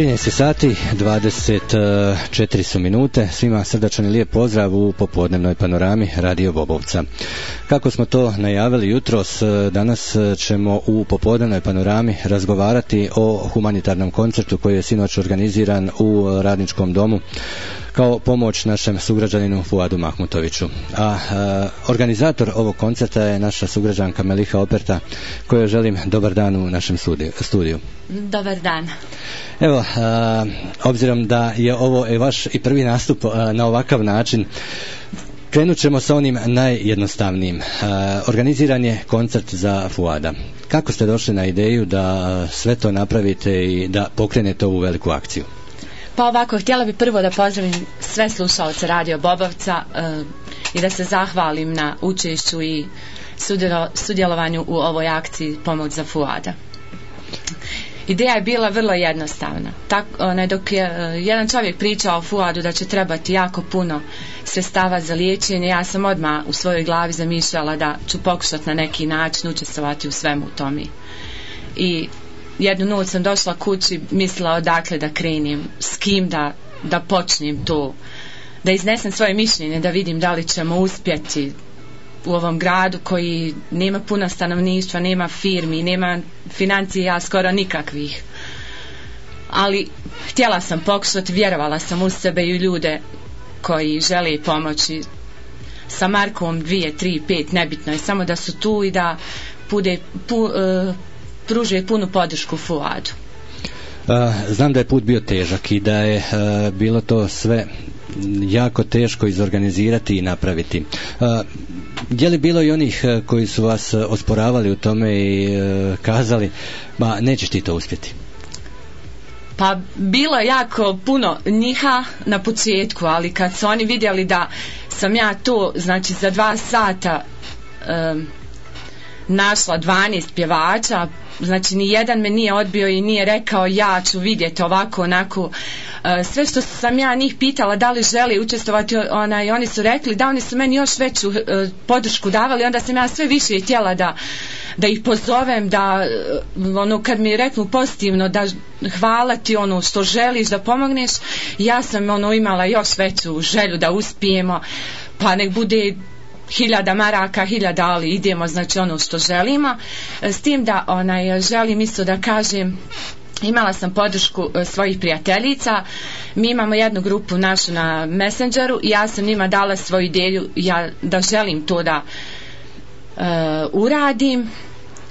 13 sati, 24 su minute. Svima srdačan i lijep pozdrav u popodnevnoj panorami Radio Bobovca. Kako smo to najavili jutros, danas ćemo u popodnevnoj panorami razgovarati o humanitarnom koncertu koji je sinoć organiziran u Radničkom domu kao pomoć našem sugrađaninu Fuadu Mahmutoviću. A organizator ovog koncerta je naša sugrađanka Meliha Operta, kojoj želim dobar dan u našem studiju. Dobar dan. Evo, obzirom da je ovo vaš i prvi nastup na ovakav način, krenut ćemo sa onim najjednostavnijim. Organiziran je koncert za Fuada. Kako ste došli na ideju da sve to napravite i da pokrenete ovu veliku akciju? Pa ovako, htjela bi prvo da pozdravim sve slušaoce Radio Bobovca i da se zahvalim na učešću i sudjelovanju u ovoj akciji Pomoć za Fuada. Ideja je bila vrlo jednostavna. Dok je jedan čovjek pričao o Fuadu da će trebati jako puno sredstava za liječenje, ja sam odmah u svojoj glavi zamišljala da ću pokušati na neki način učestvovati u svemu tome. I jednu noć sam došla kući, mislila odakle da krenem, s kim da počnem to, da iznesem svoje mišljenje, da vidim da li ćemo uspjeti u ovom gradu koji nema puno stanovništva, nema firmi, nema financija skoro nikakvih. Ali htjela sam pokušati, vjerovala sam u sebe i u ljude koji žele pomoći sa markom 2, 3, 5, nebitno je, samo da su tu i da pružuje punu podršku Fuadu. Znam da je put bio težak i da je bilo to sve jako teško izorganizirati i napraviti. Je li bilo i onih koji su vas osporavali u tome i kazali, ma nećeš ti to uspjeti? Pa bilo je jako puno njiha na početku, ali kad su oni vidjeli da sam ja to, znači za 2 sata našla 12 pjevača, znači ni jedan me nije odbio i nije rekao ja ću vidjeti ovako onako. Sve što sam ja njih pitala da li želi učestvovati, oni su rekli da, oni su meni još veću podršku davali, onda sam ja sve više htjela da ih pozovem, da kad mi reknu pozitivno da hvala ti što želiš da pomogneš, ja sam imala još veću želju da uspijemo, pa nek bude 1000 maraka, 1000, ali idemo, znači što želimo. S tim da želim isto da kažem, imala sam podršku svojih prijateljica. Mi imamo jednu grupu našu na Messengeru i ja sam njima dala svoju ideju, da želim to da uradim,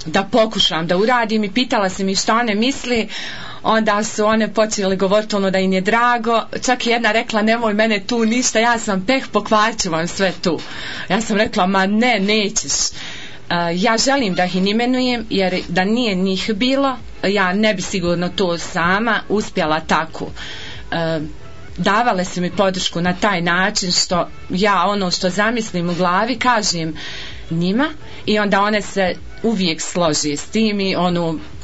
da pokušam da uradim, i pitala sam ih što one misli. Onda su one počele govoriti da im je drago, čak i jedna rekla nemoj mene tu ništa, ja sam pokvarit ću vam sve tu. Ja sam rekla ma ne, nećeš. Ja želim da ih imenujem, jer da nije njih bilo, ja ne bi sigurno to sama uspjela tako. Davale su mi podršku na taj način što ja što zamislim u glavi kažem njima i onda one se uvijek složi s tim i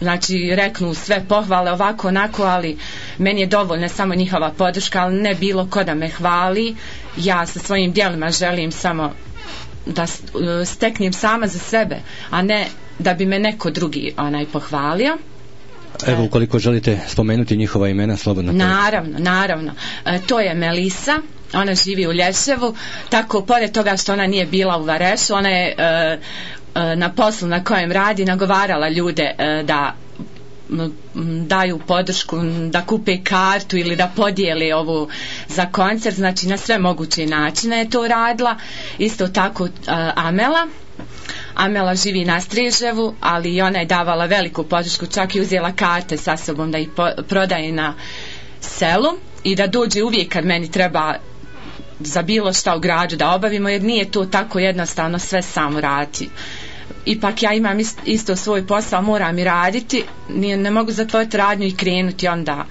znači reknu sve pohvale ovako onako, ali meni je dovoljna samo njihova podrška, ali ne bilo ko da me hvali. Ja sa svojim djelima želim samo da steknem sama za sebe, a ne da bi me neko drugi pohvalio. Evo, ukoliko želite spomenuti njihova imena, slobodno. Naravno. To je Melisa, ona živi u Lješevu, tako pored toga što ona nije bila u Varešu, ona je na poslu na kojem radi nagovarala ljude da daju podršku, da kupe kartu ili da podijeli ovu za koncert, znači na sve moguće načine je to radila. Isto tako Amela živi na Striževu, ali i ona je davala veliku podršku, čak i uzela karte sa sobom da ih prodaje na selu i da dođe uvijek kad meni treba za bilo šta u gradu da obavimo, jer nije to tako jednostavno sve samo raditi. Ipak ja imam isto svoj posao, moram i raditi, ne mogu zatvoriti radnju i krenuti, onda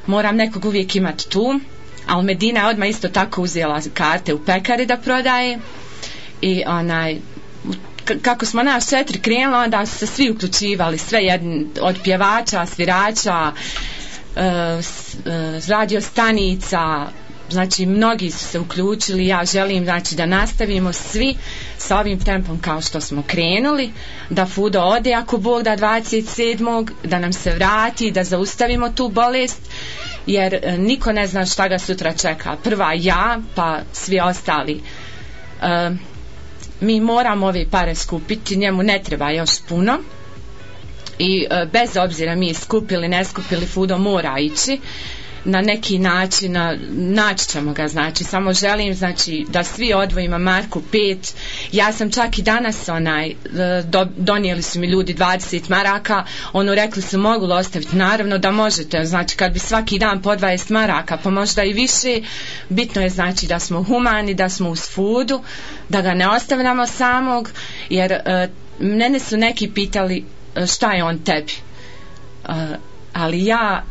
moram nekog uvijek imati tu. Ali Medina je odmah isto tako uzela karte u pekari da prodaje i kako smo nas 4 krenuli, onda su se svi uključivali, sve jedni, od pjevača, svirača, radio stanica, znači mnogi su se uključili, ja želim znači da nastavimo svi sa ovim tempom kao što smo krenuli, da Fudo ode ako Bog da 27. da nam se vrati, da zaustavimo tu bolest, jer niko ne zna šta ga sutra čeka, prva ja pa svi ostali. Mi moramo ove pare skupiti, njemu ne treba još puno i bez obzira mi skupili, ne skupili, Fudo mora ići na neki način, naći ćemo ga, znači samo želim znači da svi odvojimo marku 5. Ja sam čak i danas donijeli su mi ljudi 20 maraka, rekli su mogu li ostaviti, naravno da možete, znači kad bi svaki dan po 20 maraka pa možda i više, bitno je znači da smo humani, da smo uz Fudu, da ga ne ostavljamo samog, jer mene su neki pitali šta je on tebi, ali ja,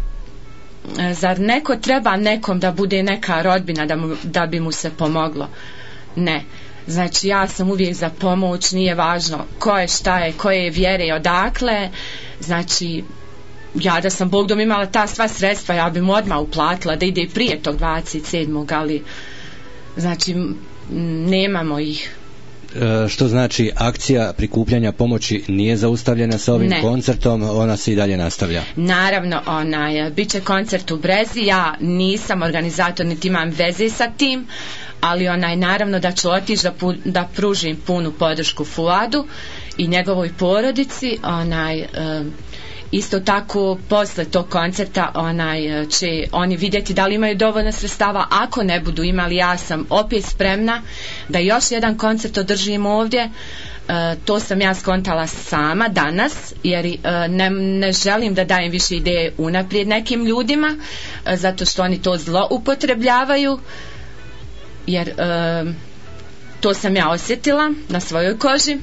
zar neko treba nekom da bude neka rodbina da bi mu se pomoglo? Ne, znači ja sam uvijek za pomoć, nije važno ko je, šta je, koje je vjere i odakle, znači ja da sam Bog dom imala ta sva sredstva, ja bi mu odmah uplatila da ide prije tog 27. ali znači nemamo ih. Što znači akcija prikupljanja pomoći nije zaustavljena sa ovim koncertom, ona se i dalje nastavlja? Naravno, bit će koncert u Brezi, ja nisam organizator niti imam veze sa tim, ali naravno da ću otići da pružim punu podršku Fuadu i njegovoj porodici, isto tako posle tog koncerta će oni vidjeti da li imaju dovoljno sredstava, ako ne budu imali ja sam opet spremna da još jedan koncert održim ovdje, to sam ja skontala sama danas jer ne želim da dajem više ideje unaprijed nekim ljudima zato što oni to zloupotrebljavaju, jer to sam ja osjetila na svojoj koži.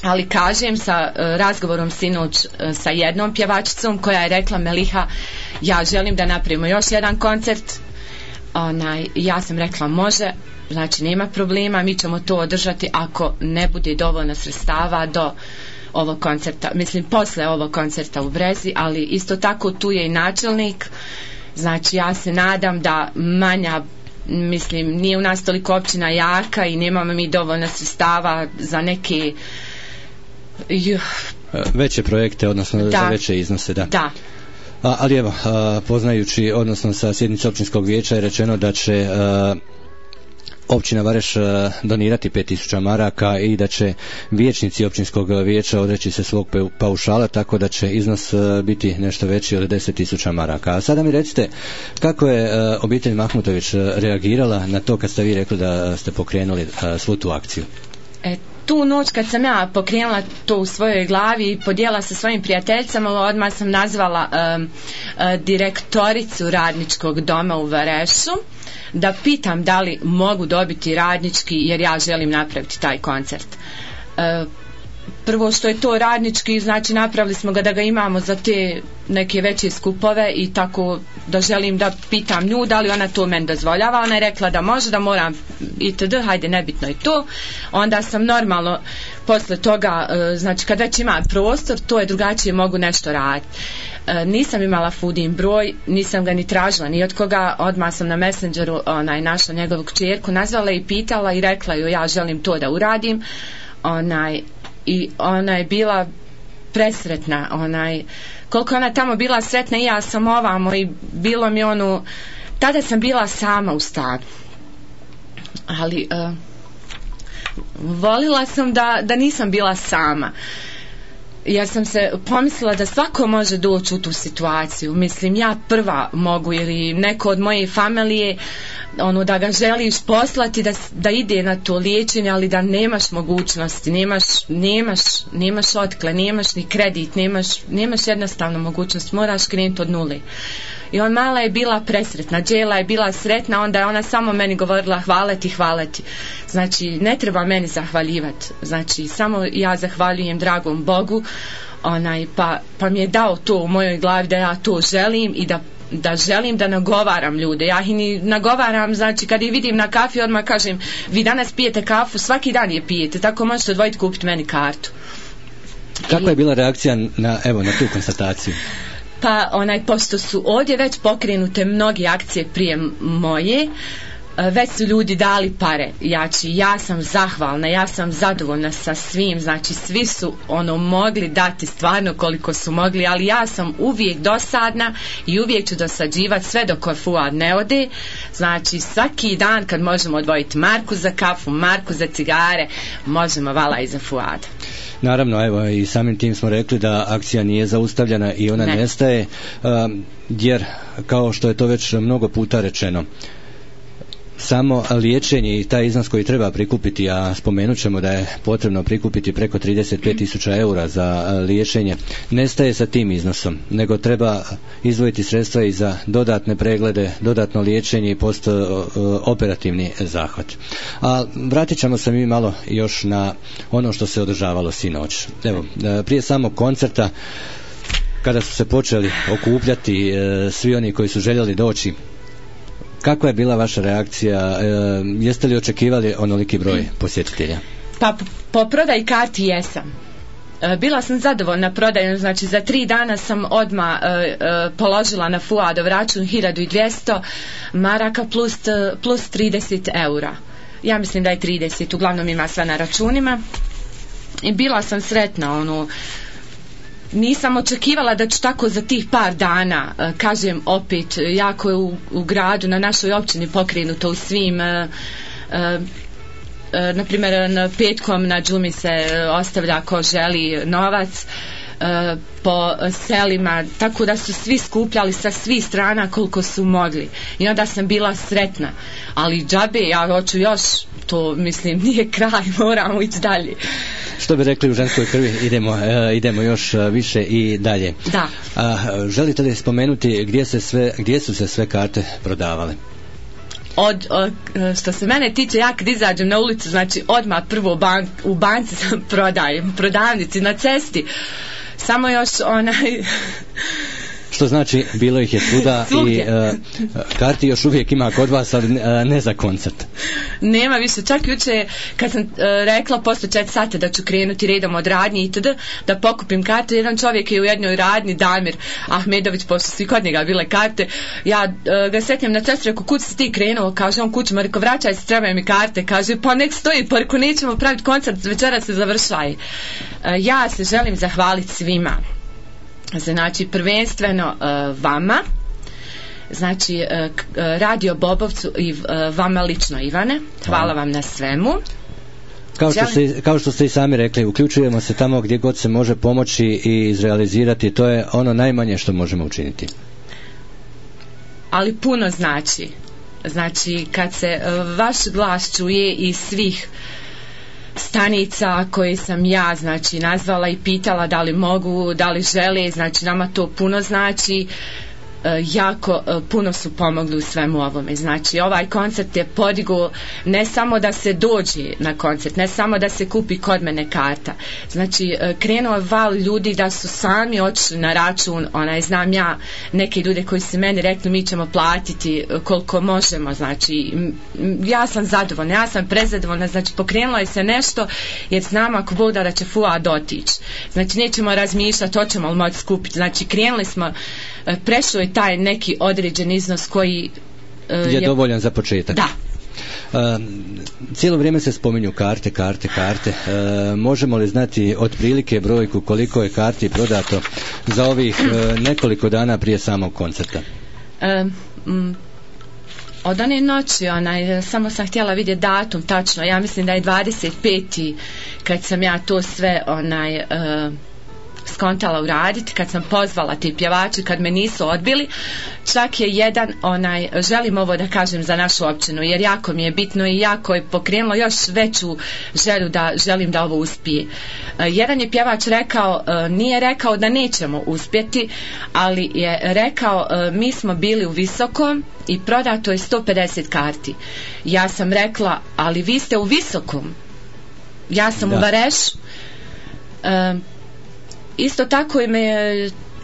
Ali kažem sa razgovorom sinoć sa jednom pjevačicom koja je rekla Meliha, ja želim da napravimo još jedan koncert, ja sam rekla može, znači nema problema, mi ćemo to održati ako ne bude dovoljno sredstava do ovog koncerta, mislim posle ovog koncerta u Brezi, ali isto tako tu je i načelnik, znači ja se nadam da manja, mislim nije u nas toliko općina jaka i nemamo mi dovoljno sredstava za neke veće projekte, odnosno za veće iznose, da. Ali evo, poznajući, odnosno sa sjednice općinskog vijeća je rečeno da će općina Vareš donirati 5000 maraka i da će vijećnici općinskog vijeća odreći se svog paušala, tako da će iznos biti nešto veći od 10.000 maraka. A sada mi recite, kako je obitelj Mahmutović reagirala na to kad ste vi rekli da ste pokrenuli svu tu akciju? Tu noć kad sam ja pokrenula to u svojoj glavi i podijela sa svojim prijateljicama, odmah sam nazvala direktoricu radničkog doma u Varešu da pitam da li mogu dobiti radnički, jer ja želim napraviti taj koncert. Prvo što je to radnički, znači napravili smo ga da ga imamo za te neke veće skupove i tako da želim da pitam nju da li ona to meni dozvoljava. Ona je rekla da može, da moram itd. Hajde, nebitno je to. Onda sam normalno posle toga, znači kad već ima prostor, to je drugačije, mogu nešto raditi. Nisam imala Fudin broj, nisam ga ni tražila ni od koga, odmah sam na Messengeru našla njegovu kćerku, nazvala i pitala i rekla joj ja želim to da uradim. I ona je bila presretna, koliko ona tamo bila sretna i ja sam ovamo i bilo mi tada sam bila sama u stanu, ali volila sam da nisam bila sama, jer sam se pomislila da svako može doći u tu situaciju, mislim ja prva mogu ili neko od moje familije, da ga želiš poslati da ide na to liječenje, ali da nemaš mogućnosti, nemaš otkle, nemaš ni kredit, nemaš jednostavno mogućnost, moraš krenuti od nule. I mala je bila presretna, Đela je bila sretna, onda je ona samo meni govorila hvala ti. Znači ne treba meni zahvaljivati, znači samo ja zahvaljujem dragom Bogu, pa mi je dao to u mojoj glavi da ja to želim i da želim da nagovaram ljude. Ja ih ni nagovaram, znači kad ih vidim na kafi odmah kažem vi danas pijete kafu, svaki dan je pijete, tako možete odvojiti kupiti meni kartu. Kakva je bila reakcija na tu konstataciju? pa pošto su ovdje već pokrenute mnoge akcije prije moje, već su ljudi dali pare. Ja sam zahvalna, ja sam zadovoljna sa svim, znači svi su mogli dati stvarno koliko su mogli, ali ja sam uvijek dosadna i uvijek ću dosađivati sve dok Fuad ne ode. Znači svaki dan kad možemo odvojiti marku za kafu, marku za cigare, možemo vala i za Fuada. Naravno, evo i samim tim smo rekli da akcija nije zaustavljena i ona nestaje, jer kao što je to već mnogo puta rečeno, samo liječenje i taj iznos koji treba prikupiti, a spomenut ćemo da je potrebno prikupiti preko 35.000 eura za liječenje, nestaje sa tim iznosom, nego treba izdvojiti sredstva i za dodatne preglede, dodatno liječenje i postoperativni zahvat. A vratit ćemo se mi malo još na ono što se održavalo sinoć. Evo, prije samog koncerta, kada su se počeli okupljati svi oni koji su željeli doći, kakva je bila vaša reakcija? Jeste li očekivali onoliki broj posjetitelja? Pa po prodaji karti jesam. Bila sam zadovoljna prodajom, znači za 3 dana sam odmah položila na Fuadov račun 1200 maraka plus 30 eura. Ja mislim da je 30, uglavnom ima sve na računima. I bila sam sretna, nisam očekivala da ću tako za tih par dana, kažem opet, jako je u gradu, na našoj općini pokrenuto u svim, na primjer petkom na džumi se ostavlja ko želi novac, po selima, tako da su svi skupljali sa svih strana koliko su mogli i onda sam bila sretna, ali džabe, ja hoću još, to mislim nije kraj, moramo ići dalje. Što bi rekli u ženskoj krvi, idemo još više i dalje. Da. Želite li spomenuti gdje su se sve karte prodavale? Što se mene tiče, ja kad izađem na ulicu, znači odmah prvo u banci sam prodajem, prodavnici na cesti, samo još Što znači, bilo ih je svuda i karti još uvijek ima kod vas, ali ne za koncert. Nema više, čak juče kad sam rekla posle 4 sata da ću krenuti redom od radnje itd. Da pokupim karte, jedan čovjek je u jednoj radnji, Damir Ahmedović, pošto svi kod njega bile karte, ja ga setnjem na cestru, rekao, kud si ti krenuo, kaže on kućima, rekao, vraćaj se, trebaju mi karte, kaže, pa nek stoji, pa rekao, nećemo praviti koncert, večera se završaj. Ja se želim zahvaliti svima. Znači prvenstveno vama, znači Radio Bobovcu i vama lično, Ivane, hvala vam na svemu. Kao što ste i sami rekli, uključujemo se tamo gdje god se može pomoći i izrealizirati, to je ono najmanje što možemo učiniti. Ali puno znači kad se vaš glas čuje iz svih stanica koje sam ja znači nazvala i pitala da li mogu, da li žele, znači nama to puno znači, jako puno su pomogli u svemu ovome. Znači ovaj koncert je podigao ne samo da se dođe na koncert, ne samo da se kupi kod mene karta, znači krenuo val ljudi da su sami otišli na račun, znam ja neke ljude koji su meni rekli mi ćemo platiti koliko možemo, znači ja sam zadovoljna, ja sam prezadovoljna, znači pokrenulo je se nešto jer znam ako Bog da će Fuad otići, znači nećemo razmišljati hoćemo li moći skupiti, znači krenuli smo, prešlo je taj neki određen iznos koji je dovoljan za početak. Da. Cijelo vrijeme se spominju karte. Možemo li znati otprilike brojku koliko je karti prodato za ovih nekoliko dana prije samog koncerta? Od one noći, samo sam htjela vidjeti datum tačno, ja mislim da je 25. kad sam ja to sve skontala uraditi, kad sam pozvala ti pjevači, kad me nisu odbili, čak je jedan želim ovo da kažem za našu općinu, jer jako mi je bitno i jako je pokrenulo još veću želju da želim da ovo uspije. Jedan je pjevač rekao, nije rekao da nećemo uspjeti, ali je rekao mi smo bili u Visokom i prodato je 150 karti. Ja sam rekla, ali vi ste u Visokom, ja sam u Varešu. Isto tako me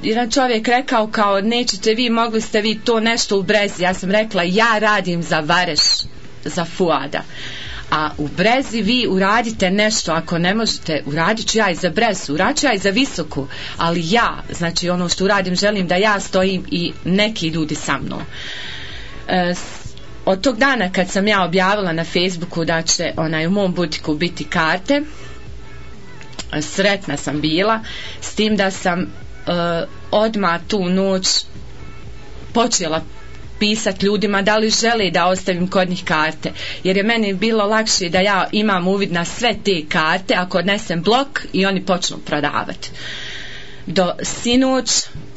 jedan čovjek rekao kao nećete vi, mogli ste vi to nešto u Brezi. Ja sam rekla ja radim za Vareš, za Fuada. a u Brezi vi uradite nešto, ako ne možete, uradit ću ja i za Brezu, uradit ću ja i za Visoku, ali ja, znači ono što uradim, želim da ja stojim i neki ljudi sa mnom. Od tog dana kad sam ja objavila na Facebooku da će u mom butiku biti karte, sretna sam bila, s tim da sam odmah tu noć počela pisati ljudima da li žele da ostavim kod njih karte, jer je meni bilo lakše da ja imam uvid na sve te karte ako odnesem blok i oni počnu prodavati. Do sinoć,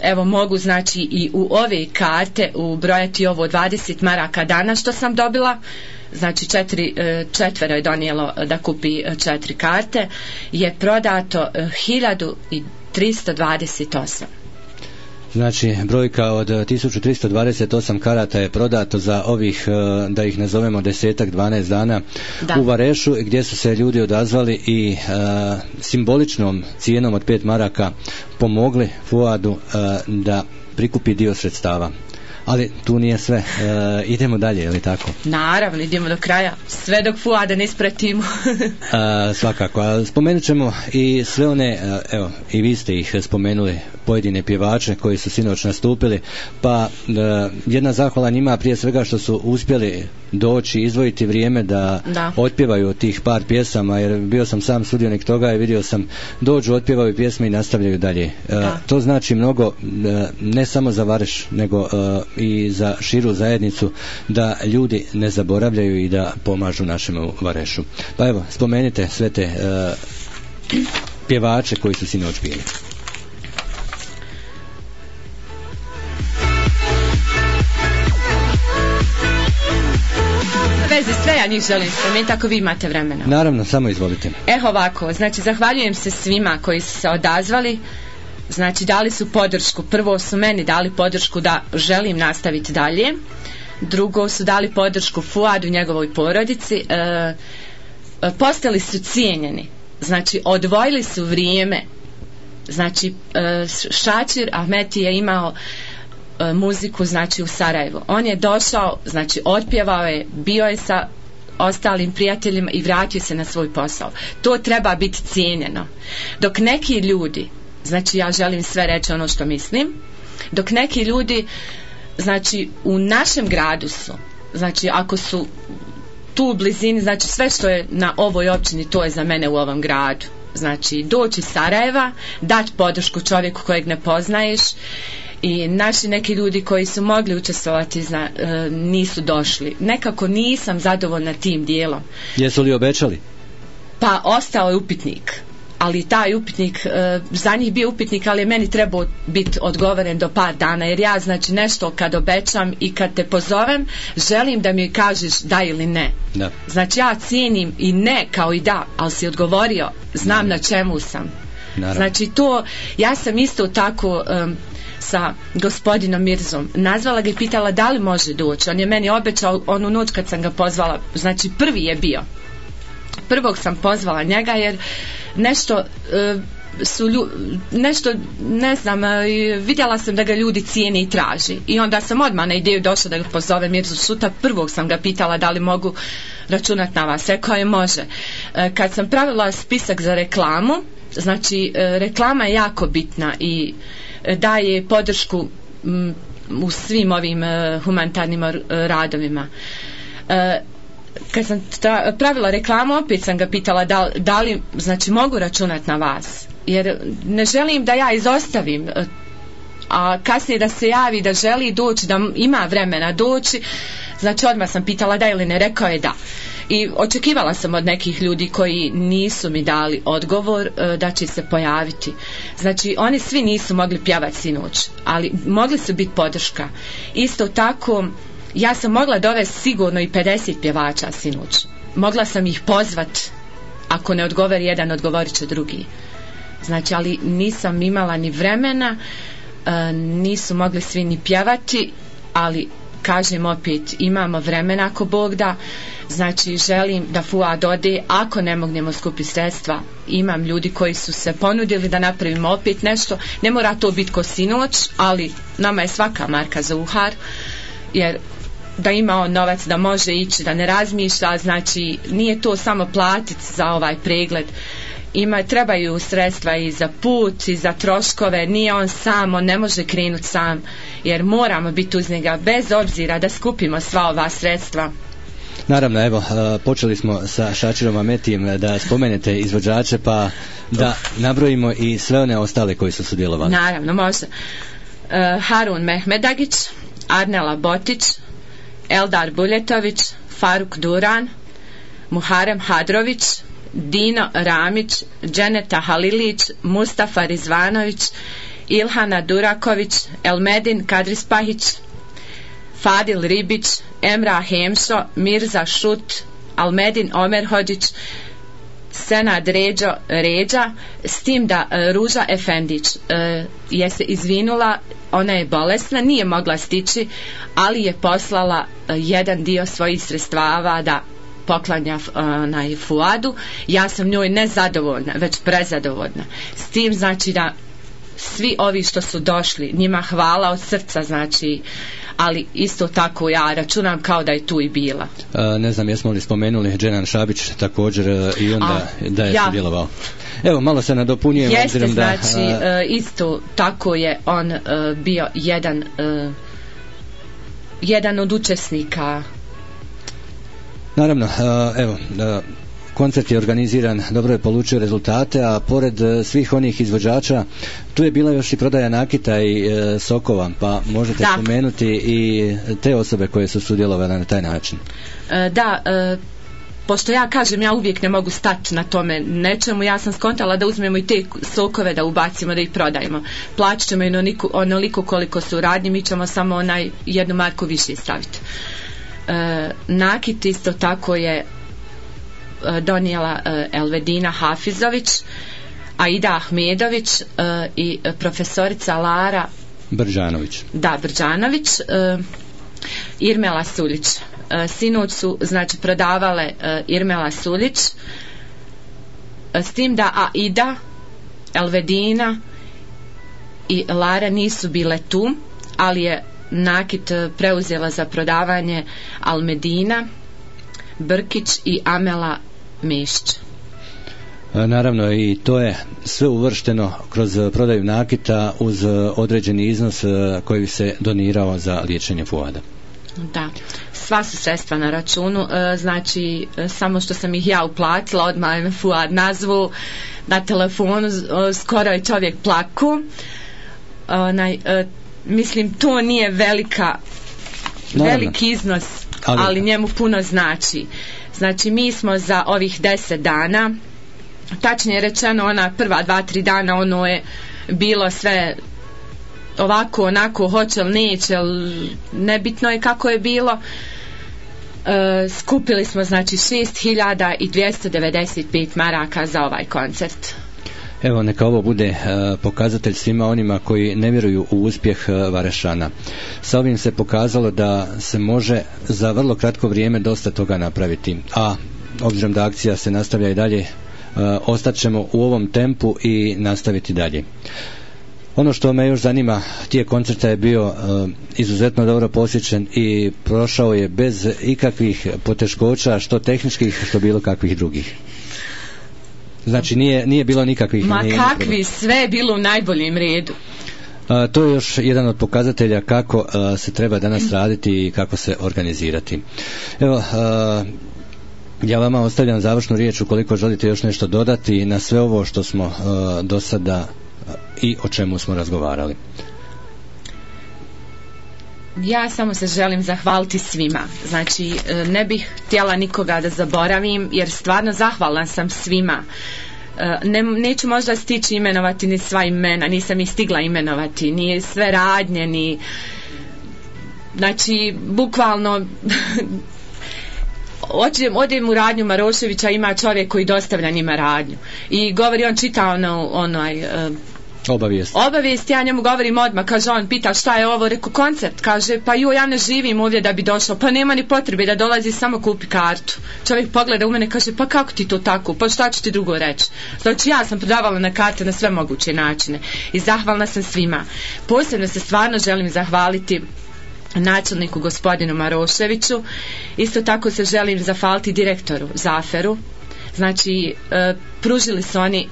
evo mogu znači i u ove karte ubrojati ovo 20 maraka dana što sam dobila, znači četvero je donijelo da kupi 4 karte, je prodato 1328. Znači, brojka od 1328 karata je prodato za ovih, da ih nazovemo 10-12 dana u Varešu, gdje su se ljudi odazvali i simboličnom cijenom od 5 maraka pomogli Fuadu da prikupi dio sredstava. Ali tu nije sve. Idemo dalje, je li tako? Naravno, idemo do kraja. Sve dok Fuada ne ispratimo. Svakako. Spomenut ćemo i sve one, evo, i vi ste ih spomenuli, pojedine pjevače koji su sinoć nastupili, pa jedna zahvala njima prije svega što su uspjeli doći, izdvojiti vrijeme da otpjevaju tih par pjesama, jer bio sam sam sudionik toga i vidio sam dođu, otpjevaju pjesme i nastavljaju dalje. To znači mnogo, ne samo za Vareš, nego i za širu zajednicu, da ljudi ne zaboravljaju i da pomažu našemu Varešu. Pa evo, spomenite sve te pjevače koji su sinoć bili. Vezi sve, ja njih želim spomenuti ako vi imate vremena. Naravno, samo izvolite. Ovako, znači zahvaljujem se svima koji su se odazvali, znači dali su podršku. Prvo su meni dali podršku da želim nastaviti dalje, drugo su dali podršku Fuadu i njegovoj porodici, postali su cijenjeni, znači odvojili su vrijeme, znači Šačir Ahmeti je imao muziku znači u Sarajevu, on je došao, znači otpjevao je, bio je sa ostalim prijateljima i vratio se na svoj posao. To treba biti cijenjeno. Dok neki ljudi, znači ja želim sve reći ono što mislim, dok neki ljudi znači u našem gradu su, znači ako su tu u blizini, znači sve što je na ovoj općini, to je za mene u ovom gradu. Znači doći iz Sarajeva, dati podršku čovjeku kojeg ne poznaješ, i naši neki ljudi koji su mogli učestvovati nisu došli. Nekako nisam zadovoljna tim dijelom. Jesu li obećali? Pa ostao je upitnik, ali taj upitnik, za njih bio upitnik, ali je meni trebao biti odgovoren do par dana, jer ja znači nešto kad obećam i kad te pozovem, želim da mi kažeš da ili ne. Da. Znači ja cijenim i ne kao i da, ali si odgovorio, znam na čemu sam. Naravno. Znači to, ja sam isto tako sa gospodinom Mirzom nazvala ga i pitala da li može doći. On je meni obećao onu noć kad sam ga pozvala, znači prvi je bio. Prvog sam pozvala njega jer nešto nešto ne znam, vidjela sam da ga ljudi cijeni i traži, i onda sam odmah na ideju došla da ga pozove Mirzu sutra. Prvog sam ga pitala da li mogu računati na vas, rekao je može. Kad sam pravila spisak za reklamu, znači reklama je jako bitna i daje podršku u svim ovim humanitarnim radovima. Kad sam pravila reklamu, opet sam ga pitala da li znači mogu računati na vas, jer ne želim da ja izostavim, a kasnije da se javi da želi doći, da ima vremena doći, znači odmah sam pitala da ili ne, rekao je da. I očekivala sam od nekih ljudi koji nisu mi dali odgovor da će se pojaviti. Znači oni svi nisu mogli pjevati sinoć, ali mogli su biti podrška. Isto tako ja sam mogla dovesti sigurno i 50 pjevača sinoć. Mogla sam ih pozvat, ako ne odgovori jedan, odgovorit će drugi. Znači, ali nisam imala ni vremena, nisu mogli svi ni pjevati, ali kažem opet, imamo vremena ako Bog da. Znači želim da Fuad ode, ako ne mognemo skupiti sredstva, imam ljudi koji su se ponudili da napravimo opet nešto, ne mora to biti ko sinoć, ali nama je svaka marka za uhar, jer da ima on novac, da može ići, da ne razmišlja, znači nije to samo platiti za ovaj pregled. Trebaju sredstva i za put i za troškove, nije on sam, on ne može krenuti sam, jer moramo biti uz njega bez obzira da skupimo sva ova sredstva. Naravno, evo, počeli smo sa Šačirom Ahmetijem da spomenete izvođače, pa da nabrojimo i sve one ostale koji su sudjelovali. Naravno, može. Harun Mehmedagić, Arnela Botić, Eldar Buljetović, Faruk Duran, Muharem Hadrović, Dino Ramić, Dženeta Halilić, Mustafa Rizvanović, Ilhana Duraković, Elmedin Kadrispahić, Fadil Ribić, Emra Hemšo, Mirza Šut, Almedin Omerhođić, Senad Ređa, s tim da Ruža Efendić je se izvinula, ona je bolesna, nije mogla stići, ali je poslala jedan dio svojih sredstava da poklanja na Fuadu. Ja sam njoj ne zadovoljna, već prezadovoljna. S tim znači da svi ovi što su došli, njima hvala od srca, znači, ali isto tako ja računam kao da je tu i bila. Ne znam, jesmo li spomenuli Dženan Šabić također i onda da je sudjelovao. Evo, malo se nadopunjujem. Jeste, znači, isto tako je on bio jedan od učesnika. Naravno, evo, koncert je organiziran, dobro je polučio rezultate, a pored svih onih izvođača tu je bila još i prodaja nakita i sokova, pa možete spomenuti i te osobe koje su sudjelovale na taj način. Pošto ja kažem, ja uvijek ne mogu stati na tome nečemu, ja sam skontala da uzmemo i te sokove da ubacimo, da ih prodajemo. Plaćat ćemo onoliko koliko su radnji, mi ćemo samo jednu marku više staviti. Nakit isto tako je donijela Elvedina Hafizović, Aida Ahmedović i profesorica Lara Brđanović, Irmela Suljić. Sinoć su znači prodavale Irmela Suljić, s tim da Aida, Elvedina i Lara nisu bile tu, ali je nakit preuzela za prodavanje Almedina Brkić i Amela Mešć. Naravno, i to je sve uvršteno kroz prodaju nakita uz određeni iznos koji se donirao za liječenje Fuada. Da, sva su sredstva na računu, znači samo što sam ih ja uplatila, odmah je Fuad nazvu na telefonu, skoro je čovjek plaku. Mislim, to nije veliki iznos, ali njemu puno znači. Znači, mi smo za ovih 10 dana, tačnije rečeno ona prva 2-3 dana, ono je bilo sve ovako, onako, hoće li, neće, nebitno je kako je bilo. Skupili smo znači 6.295 maraka za ovaj koncert. Evo, neka ovo bude pokazatelj svima onima koji ne vjeruju u uspjeh Varešana. Sa ovim se pokazalo da se može za vrlo kratko vrijeme dosta toga napraviti, a obzirom da akcija se nastavlja i dalje, ostat ćemo u ovom tempu i nastaviti dalje. Ono što me još zanima, tijek koncerta je bio izuzetno dobro posjećen i prošao je bez ikakvih poteškoća, što tehničkih, što bilo kakvih drugih. Znači nije bilo nikakvih... kakvi, sve je bilo u najboljem redu. To je još jedan od pokazatelja kako se treba danas raditi i kako se organizirati. Evo, ja vama ostavljam završnu riječ ukoliko želite još nešto dodati na sve ovo što smo do sada i o čemu smo razgovarali. Ja samo se želim zahvaliti svima. Znači, ne bih htjela nikoga da zaboravim, jer stvarno zahvalna sam svima. Neću možda stići imenovati ni sva imena, nisam ih stigla imenovati, ni sve radnje, ni... Znači, bukvalno... Odem u radnju Maroševića, ima čovjek koji dostavlja njima radnju i govori, on čita obavijest, ja njemu govorim odmah, kaže, on pita šta je ovo, reko koncert, kaže, pa ja ne živim ovdje da bi došao, pa nema ni potrebe da dolazi, samo kupi kartu. Čovjek pogleda u mene, kaže, pa kako ti to tako, pa šta ću ti drugo reći. Znači, ja sam prodavala na karte na sve moguće načine i zahvalna sam svima. Posebno se stvarno želim zahvaliti načelniku gospodinu Maroševiću. Isto tako se želim zahvaliti direktoru Zaferu. Znači, pružili su oni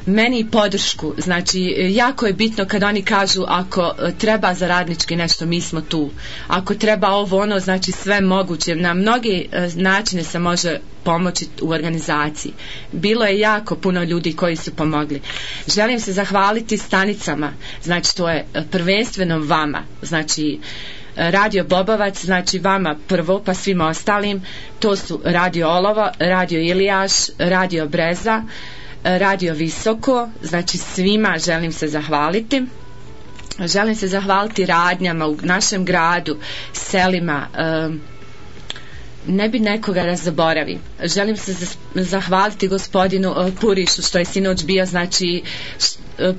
meni podršku. Znači, jako je bitno kad oni kažu ako treba za radnički nešto, mi smo tu. Ako treba ovo ono, znači sve moguće. Na mnoge načine se može pomoći u organizaciji. Bilo je jako puno ljudi koji su pomogli. Želim se zahvaliti stanicama. Znači, to je prvenstveno vama. Znači, Radio Bobovac, znači vama prvo, pa svima ostalim. To su Radio Olovo, Radio Ilijaš, Radio Breza, Radio Visoko. Znači svima želim se zahvaliti. Želim se zahvaliti radnjama u našem gradu, selima. Ne bi nekoga da zaboravim. Želim se zahvaliti gospodinu Purišu što je sinoć bio, znači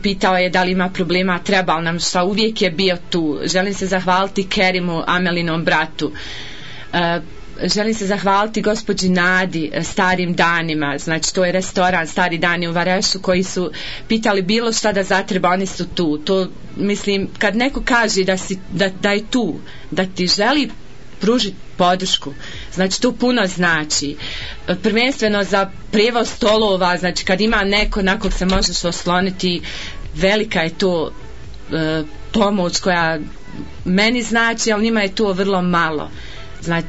pitao je da li ima problema, trebao nam šta, uvijek je bio tu. Želim se zahvaliti Kerimu, Amelinom bratu. Želim se zahvaliti gospođi Nadi, Starim danima, znači to je restoran Stari dani u Varešu, koji su pitali bilo šta da zatreba, oni su tu. To, mislim, kad neko kaže da je tu, da ti želi pružiti podršku, znači to puno znači. Prvenstveno za prijevoz stolova, znači kad ima neko na kog se možeš osloniti, velika je to pomoć koja meni znači, ali njima je to vrlo malo. Znači,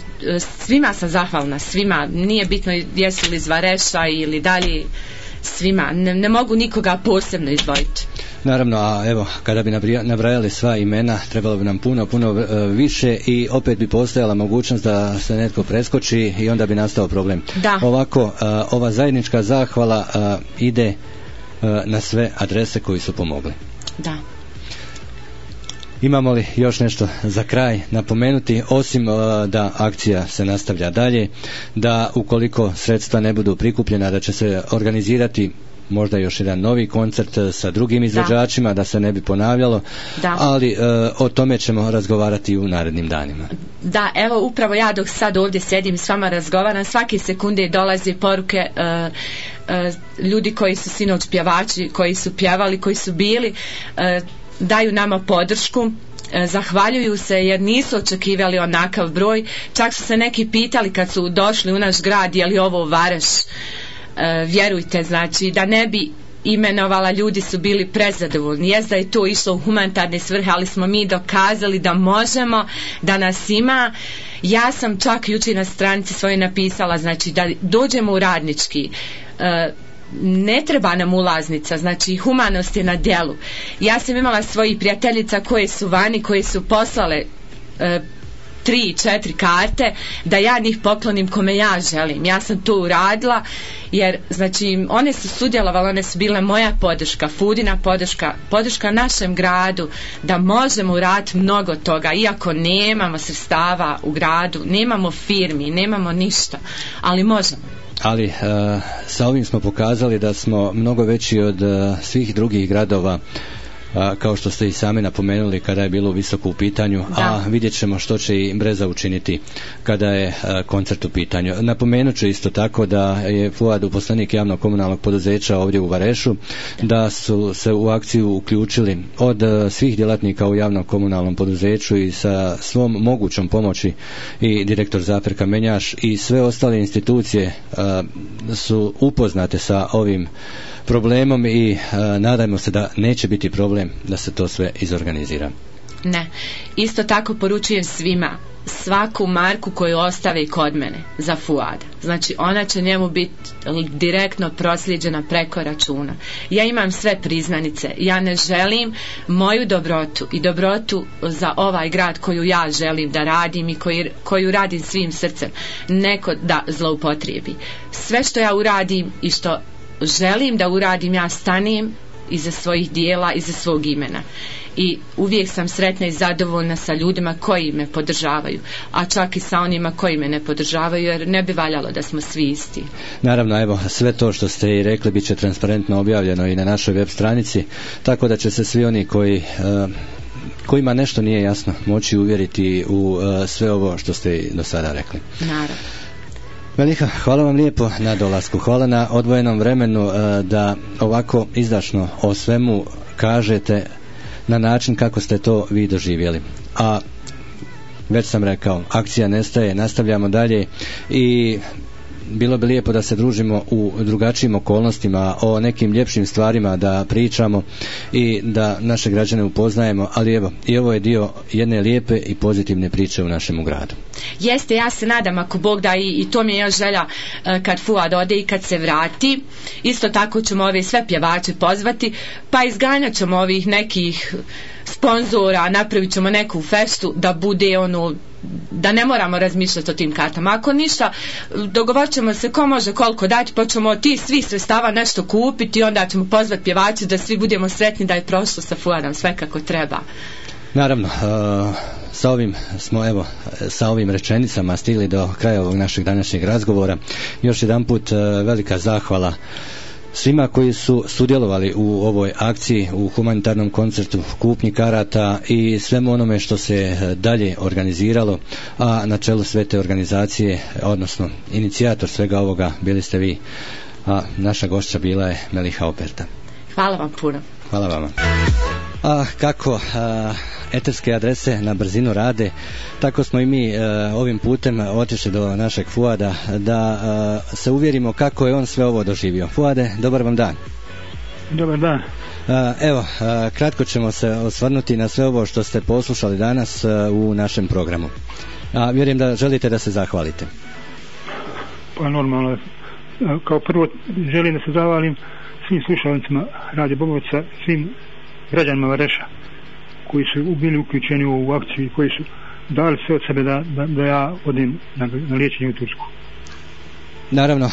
svima sam zahvalna, svima, nije bitno jesu li iz Vareša ili dalje, svima, ne mogu nikoga posebno izdvojiti. Naravno, a evo, kada bi nabrajali sva imena, trebalo bi nam puno više i opet bi postojala mogućnost da se netko preskoči i onda bi nastao problem. Da. Ovako, ova zajednička zahvala ide na sve adrese koji su pomogli. Da. Imamo li još nešto za kraj napomenuti, osim da akcija se nastavlja dalje, da ukoliko sredstva ne budu prikupljena, da će se organizirati možda još jedan novi koncert sa drugim izvođačima, da se ne bi ponavljalo, ali o tome ćemo razgovarati u narednim danima. Da, evo upravo ja dok sad ovdje sjedim i s vama razgovaram, svake sekunde dolaze poruke ljudi koji su sinoć pjevači, koji su pjevali, koji su bili, daju nama podršku, zahvaljuju se jer nisu očekivali onakav broj, čak su se neki pitali kad su došli u naš grad je li ovo Vareš. Vjerujte, znači da ne bi imenovala, ljudi su bili prezadovoljni. Jest da je to išlo u humanitarne svrhe, ali smo mi dokazali da možemo, da nas ima. Ja sam čak jučer na stranici svojoj napisala, znači da dođemo u radnički, ne treba nam ulaznica, znači humanost je na djelu. Ja sam imala svojih prijateljica koje su vani, koje su poslale 3-4 karte da ja njih poklonim kome ja želim. Ja sam to uradila jer znači one su sudjelovale, one su bile moja podrška, Fudina podrška našem gradu da možemo uraditi mnogo toga, iako nemamo sredstava u gradu, nemamo firmi, nemamo ništa, ali možemo. Ali sa ovim smo pokazali da smo mnogo veći od svih drugih gradova, kao što ste i sami napomenuli kada je bilo visoko u pitanju, a vidjet ćemo što će i Breza učiniti kada je koncert u pitanju. Napomenut ću isto tako da je Fuad uposlenik javnog komunalnog poduzeća ovdje u Varešu, da su se u akciju uključili od svih djelatnika u javnom komunalnom poduzeću i sa svom mogućom pomoći i direktor Zafer Kamenjaš i sve ostale institucije su upoznate sa ovim problemom i nadajmo se da neće biti problem da se to sve izorganizira. Ne, isto tako poručujem svima, svaku marku koju ostave kod mene za Fuada, znači ona će njemu biti direktno proslijeđena preko računa. Ja imam sve priznanice, ja ne želim moju dobrotu i dobrotu za ovaj grad koju ja želim da radim i koju radim svim srcem, neko da zloupotrijebi. Sve što ja uradim i što želim da uradim, ja stanem iza svojih dijela, iza svog imena. I uvijek sam sretna i zadovoljna sa ljudima koji me podržavaju, a čak i sa onima koji me ne podržavaju, jer ne bi valjalo da smo svi isti. Naravno, evo, sve to što ste i rekli bit će transparentno objavljeno i na našoj web stranici, tako da će se svi oni kojima nešto nije jasno moći uvjeriti u sve ovo što ste do sada rekli. Naravno. Meliha, hvala vam lijepo na dolasku, hvala na odvojenom vremenu da ovako izdašno o svemu kažete, na način kako ste to vi doživjeli. A već sam rekao, akcija ne staje, nastavljamo dalje i bilo bi lijepo da se družimo u drugačijim okolnostima, o nekim ljepšim stvarima da pričamo i da naše građane upoznajemo, ali evo, i ovo je dio jedne lijepe i pozitivne priče u našem gradu. Jeste, ja se nadam ako Bog da i to mi je još želja kad Fuad ode i kad se vrati. Isto tako ćemo ove sve pjevače pozvati, pa izganjat ćemo ovih nekih sponzora, napravit ćemo neku festu da bude da ne moramo razmišljati o tim kartama. Ako ništa, dogovorit ćemo se ko može koliko dati, pa ćemo ti svi sredstava nešto kupiti i onda ćemo pozvati pjevače da svi budemo sretni da je prošlo sa Fuadom sve kako treba. Naravno, sa ovim rečenicama stigli do kraja ovog našeg današnjeg razgovora. Još jedanput velika zahvala svima koji su sudjelovali u ovoj akciji, u humanitarnom koncertu, kupnji karata i svemu onome što se dalje organiziralo, a na čelu sve te organizacije, odnosno inicijator svega ovoga bili ste vi, a naša gošća bila je Meliha Operta. Hvala vam puno. Hvala vama. A kako eterske adrese na brzinu rade, tako smo i mi ovim putem otišli do našeg Fuada da se uvjerimo kako je on sve ovo doživio. Fuade, dobar vam dan. Dobar dan. Evo, kratko ćemo se osvrnuti na sve ovo što ste poslušali danas u našem programu. Vjerujem da želite da se zahvalite. Pa normalno, kao prvo želim da se zahvalim svim slušalnicima Radio Bobovca, svim građanima Vareša koji su bili uključeni u ovu akciju i koji su dali sve od sebe da ja odem na liječenje u Tursku. Naravno,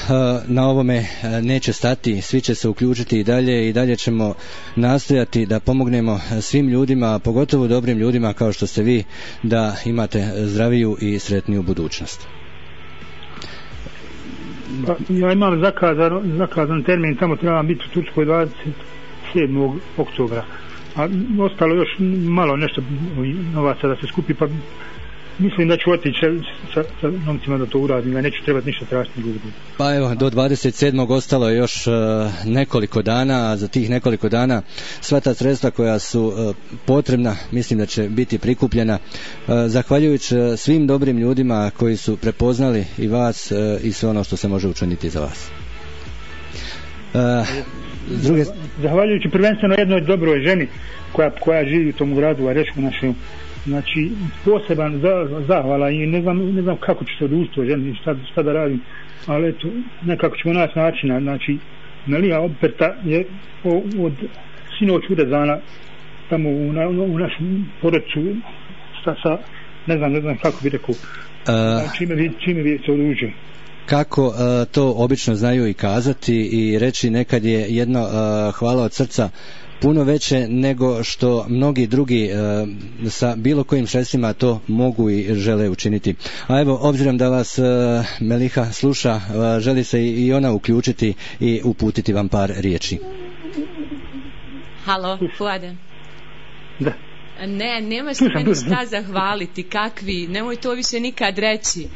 na ovome neće stati, svi će se uključiti i dalje ćemo nastojati da pomognemo svim ljudima, pogotovo dobrim ljudima kao što ste vi, da imate zdraviju i sretniju budućnost. Pa, ja imam zakazan termin, tamo trebam biti u Turskoj 27. oktobra, a ostalo još malo nešto novaca da se skupi, pa mislim da ću otići sa novcima da to uradim, da neću trebati ništa tražiti. Pa evo, do 27. ostalo je još nekoliko dana, a za tih nekoliko dana sva ta sredstva koja su potrebna, mislim da će biti prikupljena, zahvaljujući svim dobrim ljudima koji su prepoznali i vas i sve ono što se može učiniti za vas. Zahvaljujući prvenstveno jednoj dobroj ženi koja živi u tom gradu Varešku našem, znači poseban zahvala i ne znam kako ću se odužiti o ženi, šta da radim, ali eto, nekako ćemo naći načina. Znači Meliha Operta je od sinoć urezana tamo u našem porodcu sa ne znam kako bi rekao, čime bi se odužio. Kako to obično znaju i kazati i reći, nekad je jedno hvala od srca puno veće nego što mnogi drugi sa bilo kojim sredstvima to mogu i žele učiniti. A evo, obzirom da vas Meliha sluša, želi se i ona uključiti i uputiti vam par riječi. Halo, Fuade. Da. Ne, nemaš meni šta zahvaliti, kakvi, nemoj to više nikad reći.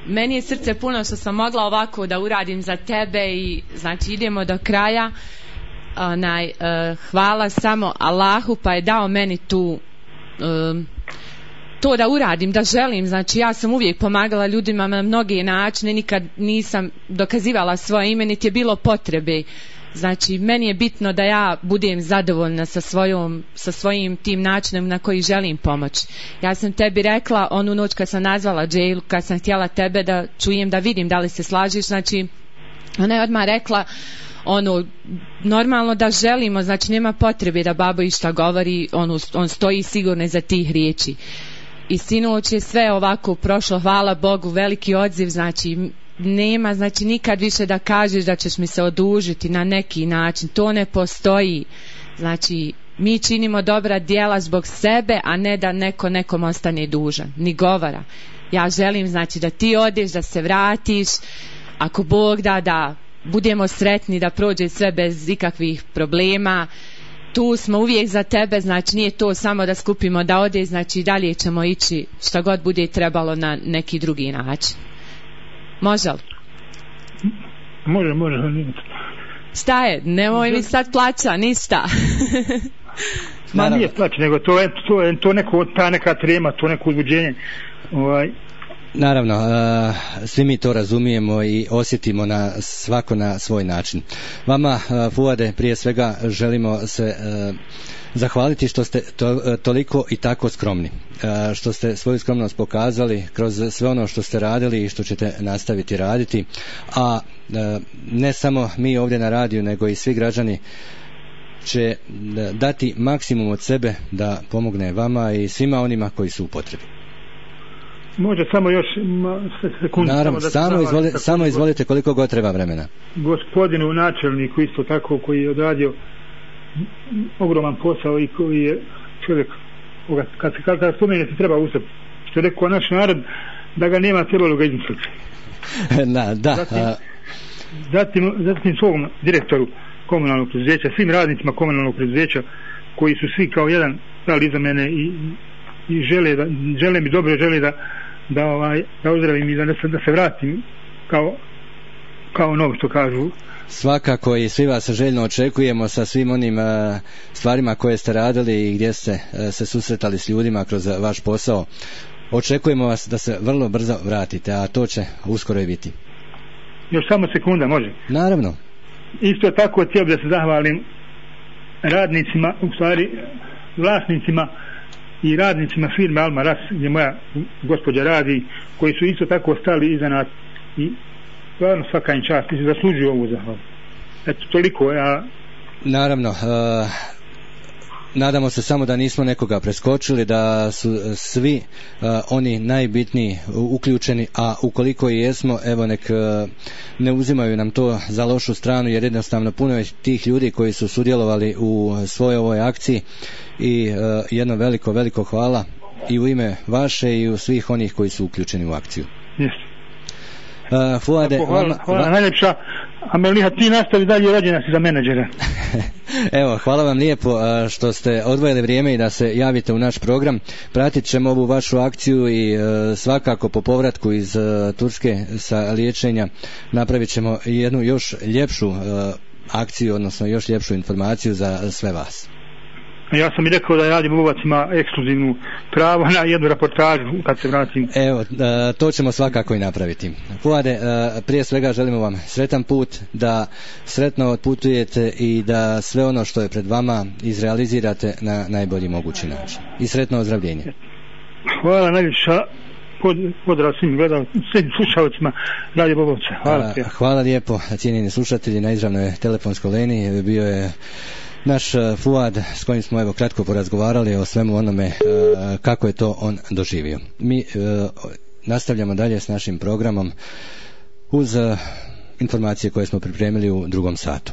Meni je srce puno što sam mogla ovako da uradim za tebe i znači idemo do kraja. Hvala samo Allahu pa je dao meni to da uradim, da želim. Znači ja sam uvijek pomagala ljudima na mnoge načine, nikad nisam dokazivala svoje ime, niti je bilo potrebe. Znači meni je bitno da ja budem zadovoljna sa svojim tim načinom na koji želim pomoći. Ja sam tebi rekla onu noć kad sam nazvala Džejlu, kad sam htjela tebe da čujem, da vidim da li se slažiš, znači ona je odmah rekla normalno da želimo, znači nema potrebe da babo išta govori, on stoji sigurno za tih riječi. I sinoć je sve ovako prošlo, hvala Bogu, veliki odziv, znači nema, znači nikad više da kažeš da ćeš mi se odužiti na neki način, to ne postoji. Znači mi činimo dobra djela zbog sebe, a ne da neko nekom ostane dužan, ni govora. Ja želim znači da ti odeš, da se vratiš, ako Bog da budemo sretni, da prođe sve bez ikakvih problema. Tu smo uvijek za tebe, znači nije to samo da skupimo da ode, znači dalje ćemo ići šta god bude trebalo na neki drugi način. Može li? Može. Šta je? Nemoj mi sad plaća, ništa. Ma nije plać, nego to neko, ta neka trema, to neko uzbuđenje. Naravno, svi mi to razumijemo i osjetimo svako na svoj način. Vama, Fuade, prije svega želimo se zahvaliti što ste toliko i tako skromni, što ste svoju skromnost pokazali kroz sve ono što ste radili i što ćete nastaviti raditi, a ne samo mi ovdje na radiju, nego i svi građani će dati maksimum od sebe da pomogne vama i svima onima koji su u potrebi. Može samo još sekundu. Naravno, samo izvolite koliko god treba vremena. Gospodinu načelniku isto tako, koji je odradio ogroman posao i koji je čovjek, kad spomenete treba ustati, što je rekao naš narod, da ga nema, trebalo ga izmisliti. Zatim svom direktoru komunalnog preduzeća, svim radnicima komunalnog preduzeća koji su svi kao jedan stali iza mene i žele mi dobro, žele da ozdravim i da se vratim kao novo, što kažu. Svakako, i svi vas željno očekujemo sa svim onim stvarima koje ste radili i gdje ste se susretali s ljudima kroz vaš posao. Očekujemo vas da se vrlo brzo vratite, a to će uskoro i biti. Još samo sekunda, može? Naravno. Isto tako htio bih da se zahvalim radnicima, u stvari vlasnicima i radnicima firme Alma Ras, gdje moja gospođa radi, koji su isto tako stali iza nas i stvarno svaka im čast, mislim, zaslužuju ovu zahvalu. Eto, toliko. Naravno, nadamo se samo da nismo nekoga preskočili, da su svi oni najbitniji uključeni, a ukoliko i jesmo, evo nek ne uzimaju nam to za lošu stranu, jer jednostavno puno je tih ljudi koji su sudjelovali u svojoj ovoj akciji i jedno veliko hvala i u ime vaše i u svih onih koji su uključeni u akciju. Jeste. Fuade, hvala najljepša. Ameliha, ti nastavi dalje, rođena si za menadžera. Evo, hvala vam lijepo što ste odvojili vrijeme i da se javite u naš program. Pratit ćemo ovu vašu akciju i svakako po povratku iz Turske sa liječenja napravit ćemo jednu još ljepšu akciju, odnosno još ljepšu informaciju za sve vas. Ja sam i rekao da Radio Bobovac ima ekskluzivnu pravo na jednu reportažu kad se vratim. Evo, to ćemo svakako i napraviti. Fuade, prije svega želimo vam sretan put, da sretno otputujete i da sve ono što je pred vama izrealizirate na najbolji mogući način. I sretno ozdravljenje. Hvala najljepša. Pozdrav svim slušalcima Radio Bobovca. Hvala lijepo, cijenjeni slušatelji. Na izravnoj telefonskoj liniji bio je naš Fuad, s kojim smo evo kratko porazgovarali o svemu onome kako je to on doživio. Mi nastavljamo dalje s našim programom uz informacije koje smo pripremili u drugom satu.